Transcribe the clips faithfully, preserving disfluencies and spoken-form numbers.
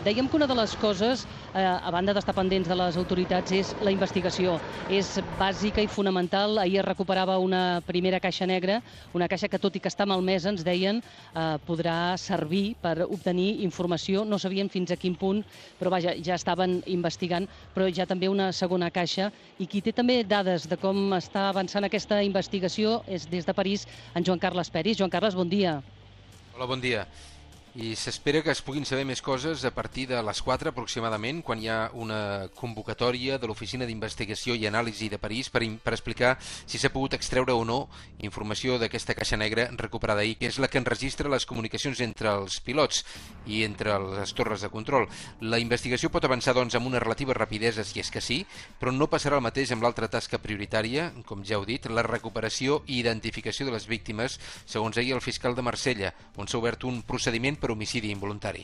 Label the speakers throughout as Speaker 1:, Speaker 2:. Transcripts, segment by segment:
Speaker 1: Dèiem que una de les coses, eh, a banda d'estar pendents de les autoritats, és la investigació. És bàsica i fonamental. Ahir es recuperava una primera caixa negra, una caixa que, tot i que està malmesa, ens deien, eh, podrà servir per obtenir informació. No sabien fins a quin punt, però vaja, ja estaven investigant, però ja també una segona caixa. I qui té també dades de com està avançant aquesta investigació és des de París en Joan Carles Peris. Joan Carles, bon dia.
Speaker 2: Hola, bon dia. I s'espera que es puguin saber més coses a partir de les quatre aproximadament, quan hi ha una convocatòria de l'Oficina d'Investigació i Anàlisi de París per, per explicar si s'ha pogut extreure o no informació d'aquesta caixa negra recuperada ahir, que és la que enregistra les comunicacions entre els pilots i entre les torres de control. La investigació pot avançar, doncs, amb una relativa rapidesa, si és que sí, però no passarà el mateix amb l'altra tasca prioritària, com ja heu dit, la recuperació i identificació de les víctimes, segons ahir el fiscal de Marsella, on s'ha obert un procediment per homicidi involuntari.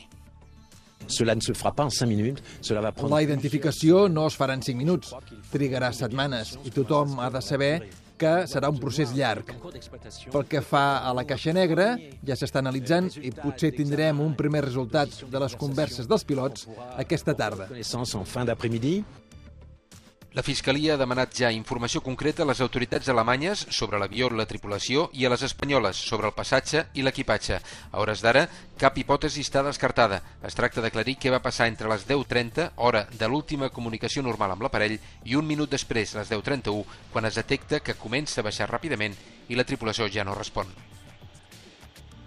Speaker 3: Cela ne se fera pas en cinq minutes, cela va prendre...
Speaker 4: La identificació no es farà en cinc minuts, trigarà setmanes i tothom ha de saber que serà un procés llarg. Pel que fa a la caixa negra, ja s'està analitzant i potser tindrem un primer resultat de les converses dels pilots aquesta tarda.
Speaker 3: En fin d'après-midi.
Speaker 2: La Fiscalia ha demanat ja informació concreta a les autoritats alemanyes sobre l'avió, la tripulació, i a les espanyoles sobre el passatge i l'equipatge. A hores d'ara, cap hipòtesi està descartada. Es tracta d'aclarir què va passar entre les deu trenta, hora de l'última comunicació normal amb l'aparell, i un minut després, les deu trenta-u, quan es detecta que comença a baixar ràpidament i la tripulació ja no respon.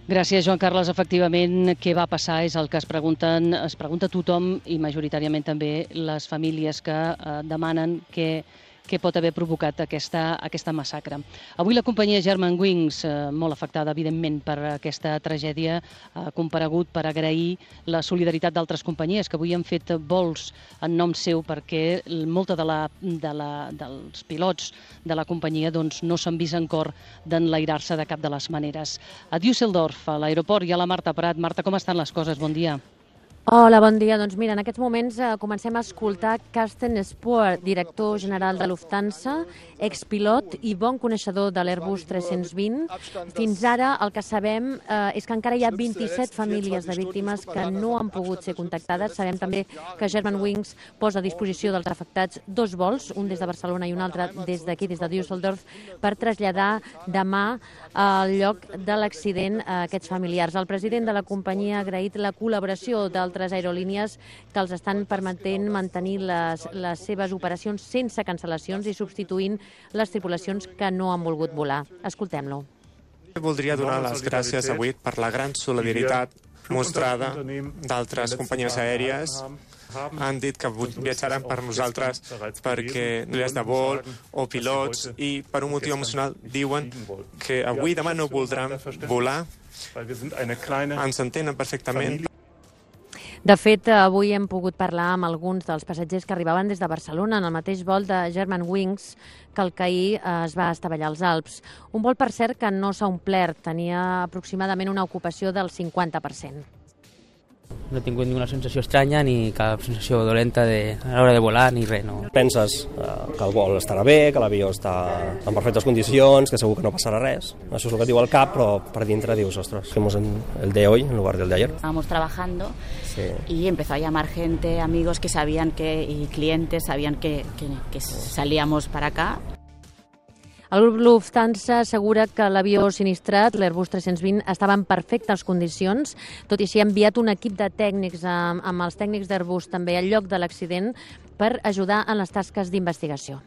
Speaker 1: Gràcies, Joan Carles. Efectivament, què va passar és el que es pregunten, es pregunta tothom i majoritàriament també les famílies que eh, demanen què, què pot haver provocat aquesta, aquesta massacre. Avui la companyia Germanwings, eh, molt afectada, evidentment, per aquesta tragèdia, ha comparegut per agrair la solidaritat d'altres companyies que avui han fet vols en nom seu perquè molta de la, de la, dels pilots de la companyia doncs, no s'han vist en cor d'enlairar-se de cap de les maneres. A Düsseldorf, a l'aeroport, hi ha la Marta Prat. Marta, com estan les coses? Bon dia.
Speaker 5: Hola, bon dia. Doncs mira, en aquests moments eh, comencem a escoltar Carsten Spohr, director general de Lufthansa, expilot i bon coneixedor de l'Airbus tres-cents vint. Fins ara el que sabem eh, és que encara hi ha vint-i-set famílies de víctimes que no han pogut ser contactades. Sabem també que Germanwings posa a disposició dels afectats dos vols, un des de Barcelona i un altre des d'aquí, des de Düsseldorf, per traslladar demà al lloc de l'accident a aquests familiars. El president de la companyia ha agraït la col·laboració d'altres altres aerolínies que els estan permetent mantenir les, les seves operacions sense cancel·lacions i substituint les tripulacions que no han volgut volar. Escoltem-lo.
Speaker 6: Voldria donar les gràcies avui per la gran solidaritat mostrada d'altres companyies aèries. Han dit que viatjaran per nosaltres perquè no hi ha de vol o pilots i per un motiu emocional diuen que avui i demà no voldran volar. Ens entenen perfectament.
Speaker 5: De fet, avui hem pogut parlar amb alguns dels passatgers que arribaven des de Barcelona en el mateix vol de Germanwings que el que ahir es va estavellar als Alps. Un vol, per cert, que no s'ha omplert, tenia aproximadament una ocupació del cinquanta per cent.
Speaker 7: No he tingut ninguna sensació estranya ni cap sensació dolenta de, a l'hora de volar ni res. No.
Speaker 8: Penses eh, que el vol estarà bé, que l'avió està en perfectes condicions, que segur que no passarà res. Això és el que diu el cap, però per dintre dius, ostres, hacemos el de hoy en lugar del de ayer.
Speaker 9: Estábamos trabajando
Speaker 8: sí.
Speaker 9: Y empezó a llamar gente, amigos que sabían que, y clientes sabían que, que, que salíamos para acá.
Speaker 5: El grup Lufthansa assegura que l'avió sinistrat, l'Airbus tres-cents vint, estava en perfectes condicions, tot i així ha enviat un equip de tècnics amb, amb els tècnics d'Airbus també al lloc de l'accident per ajudar en les tasques d'investigació.